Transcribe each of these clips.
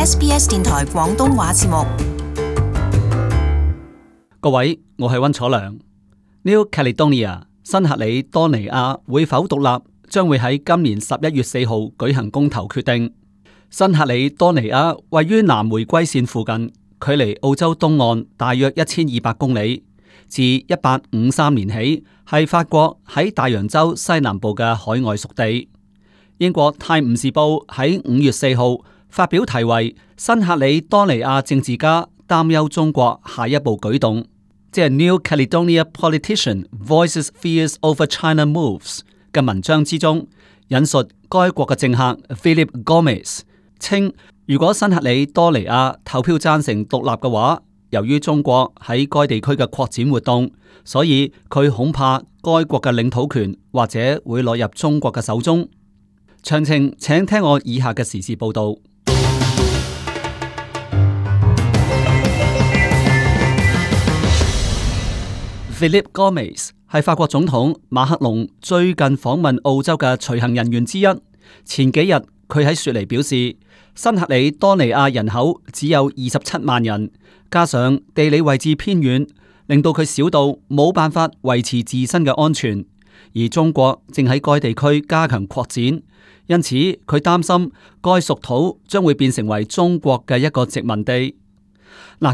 SBS 電台廣東話節目。各位，我係溫楚良。New Caledonia 新克里多尼亞會否獨立，將會喺今年11月4號舉行公投決定。新克里多尼亞位於南迴歸線附近，距離澳洲東岸大約1200公里。自1853年起，係法國喺大洋洲西南部嘅海外屬地。英國《泰晤士報》喺5月4號發表題為《新克里多尼亞政治家擔憂中國下一步舉動》，即係 New Caledonia Politician Voices Fears Over China Moves 嘅文章之中，引述該國嘅政客 Philip Gomes 稱，如果新克里多尼亞投票贊成獨立嘅話，由於中國喺該地區嘅擴展活動，所以佢恐怕該國嘅領土權或者會落入中國嘅手中。詳情請聽我以下嘅時事報道。Philip Gomes 係法國總統馬克龍最近訪問澳洲嘅隨行人員之一。前幾日佢喺雪梨表示，新克里多尼亞人口只有27萬人，加上地理位置偏遠，令到佢小到冇辦法維持自身嘅安全。而中國正喺該地區加強擴展，因此佢擔心該屬土將會變成為中國嘅一個殖民地。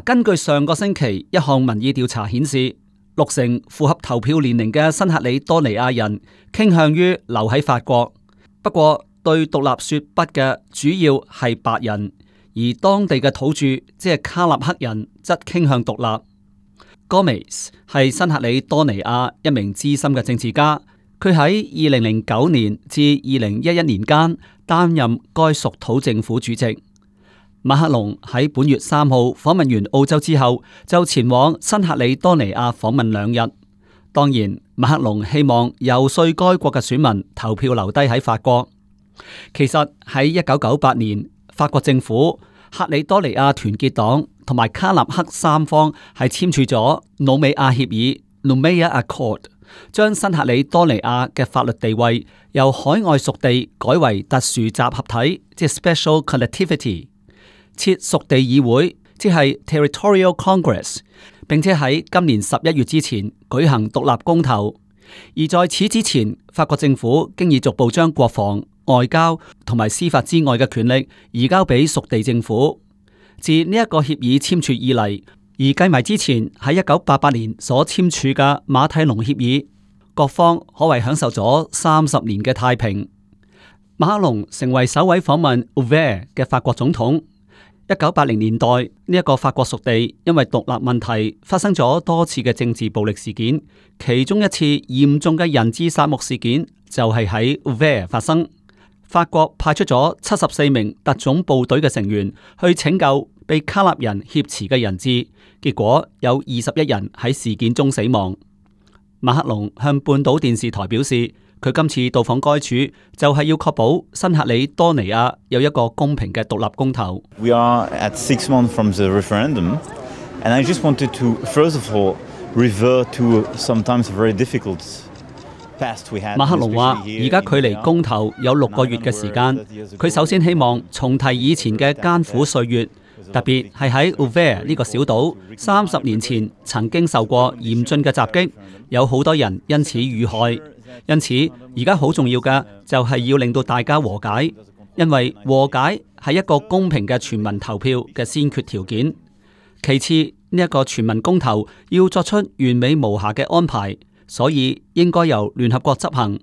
根據上個星期一項民意調查顯示，60%符合投票年齡嘅新克里多尼亞人傾向於留喺法國，不過對獨立說不嘅主要係白人，而當地嘅土著即係卡納克人則傾向獨立。Gomes 係新克里多尼亞一名資深嘅政治家，佢喺2009年至2011年間擔任該屬土政府主席。馬克龍喺本月3號訪問完澳洲之後，就前往新克里多尼亞訪問2日。當然，馬克龍希望遊說該國嘅選民投票留低喺法國。其實喺1998年，法國政府、克里多尼亞團結黨同埋卡納克三方係簽署咗努美亞協議 （Noumea Accord），將新克里多尼亞嘅法律地位由海外屬地改為特殊集合體，即係 Special Collectivity， 設屬地議會，即係 Territorial Congress， 並且喺今年11月之前舉行獨立公投。而在此之前，法國政府經已逐步將國防、外交同埋司法之外嘅權力移交俾屬地政府。自呢一個協議簽署以嚟，而計埋之前喺1988年所簽署嘅馬蒂隆協議，各方可謂享受咗30年嘅太平。馬克龍成為首位訪問 Ouvert 嘅法國總統。1980年代呢一個法國屬地因為獨立問題發生咗多次嘅政治暴力事件，其中一次嚴重嘅人質殺戮事件就係喺 Ouvert 發生。法國派出咗74名特種部隊嘅成員去拯救被卡納人挾持嘅人質，結果有21人喺事件中死亡。馬克龍向半島電視台表示，佢今次到訪該處就係要確保新克里多尼亞有一個公平嘅獨立公投。We are at 6 months from the referendum, and I just wanted to first of all revert to sometimes very difficult past we had. 馬克龍話：而家距離公投有6個月嘅時間，佢首先希望重提以前嘅艱苦歲月，特別係喺 Ouvert 呢個小島30年前曾經受過嚴峻嘅襲擊，有好多人因此遇害。因此，而家好重要嘅就係要令到大家和解，因為和解係一個公平嘅全民投票嘅先決條件。其次，呢一個全民公投要作出完美無瑕嘅安排，所以應該由聯合國執行。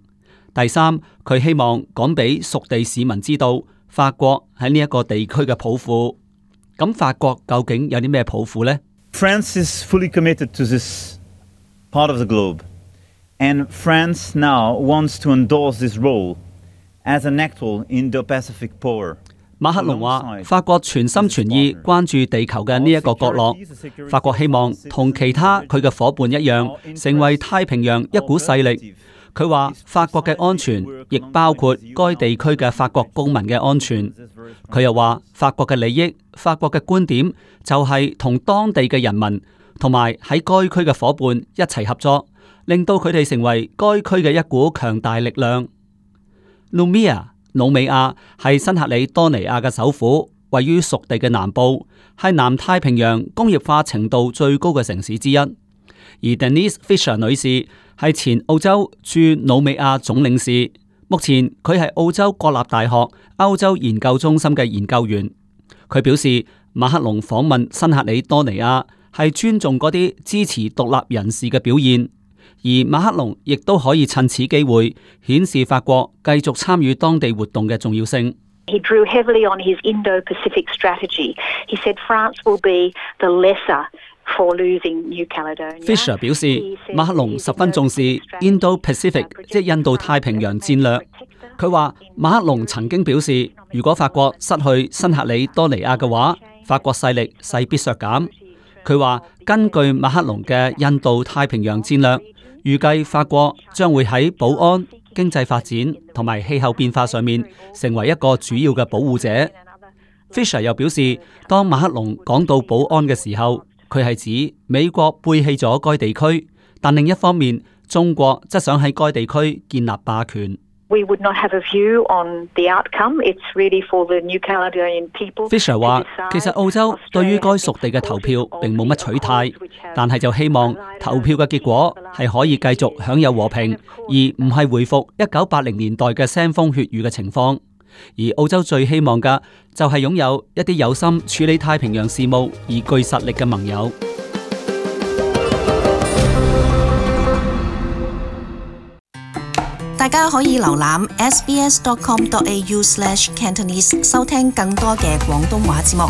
第三，佢希望講俾屬地市民知道，法國喺呢一個地區嘅抱負。咁法國究竟有啲咩抱負呢？ France is fully committed to this part of the globe. And France now wants to endorse this role as an actual Indo-Pacific power. 馬克龍話：法國全心全意關注地球嘅呢一個角落。法國希望同其他佢嘅夥伴一樣，成為太平洋一股勢力。佢話法國嘅安全亦包括該地區嘅法國公民嘅安全。佢又話法國嘅利益、法國嘅觀點就係同當地嘅人民同埋喺該區嘅夥伴一齊合作，令到佢哋成為該區嘅一股強大力量。努美亞係新克里多尼亞嘅首府，位於屬地嘅南部，係南太平洋工業化程度最高嘅城市之一。而 Denise Fisher 女士係前澳洲駐努美亞總領事，目前佢係澳洲國立大學歐洲研究中心嘅研究員。佢表示，馬克龍訪問新喀里多尼亞係尊重嗰啲支持獨立人士嘅表現，而馬克龍亦都可以趁此機會顯示法國繼續參與當地活動嘅重要性。He drew heavily on his Indo-Pacific strategy. He said France will be the lesser for losing New Caledonia. Fisher 表示，馬克龍十分重視 Indo-Pacific， 即印度太平洋戰略。佢話馬克龍曾經表示，如果法國失去新喀里多尼亞嘅話，法國勢力勢必削減。佢話根據馬克龍嘅印度太平洋戰略，預計法國將會喺保安、經濟發展同埋氣候變化上面成為一個主要嘅保護者。Fisher 又表示，當馬克龍講到保安嘅時候，佢係指美國背棄咗該地區，但另一方面，中國則想喺該地區建立霸權。We would not have a view on the outcome. It's really for the New Caledonian people. Fisher 話，其實澳洲對於該屬地嘅投票並冇乜取態，但係就希望投票嘅結果係可以繼續享有和平，而唔係回復1980年代嘅腥風血雨嘅情況。而澳洲最希望嘅就係擁有一啲有心處理太平洋事務而具實力嘅盟友。大家可以瀏覽 sbs.com.au/Cantonese 收聽更多嘅廣東話節目。